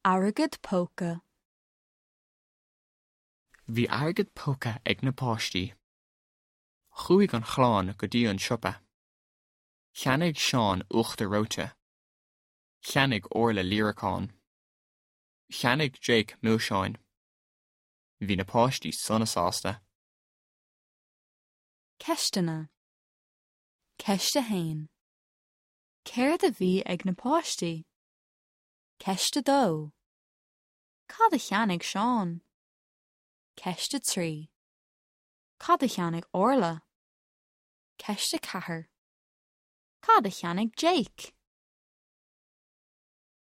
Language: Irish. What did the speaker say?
Airgead póca. Bhí airgead póca ag na páistí. Chuaigh an chlann go dtí an siopa. Cheannaigh Seán uachtar reoite. Cheannaigh Orla líreacán. Cheannaigh Jake milseáin. Bhí na páistí sona sásta. Ceisteanna. Ceist 1. Céard a bhí ag na páistí? Ceist 2. Cad a cheannaigh Seán? Ceist 3. Cad a cheannaigh Orla? Ceist 4. Cad a cheannaigh Jake?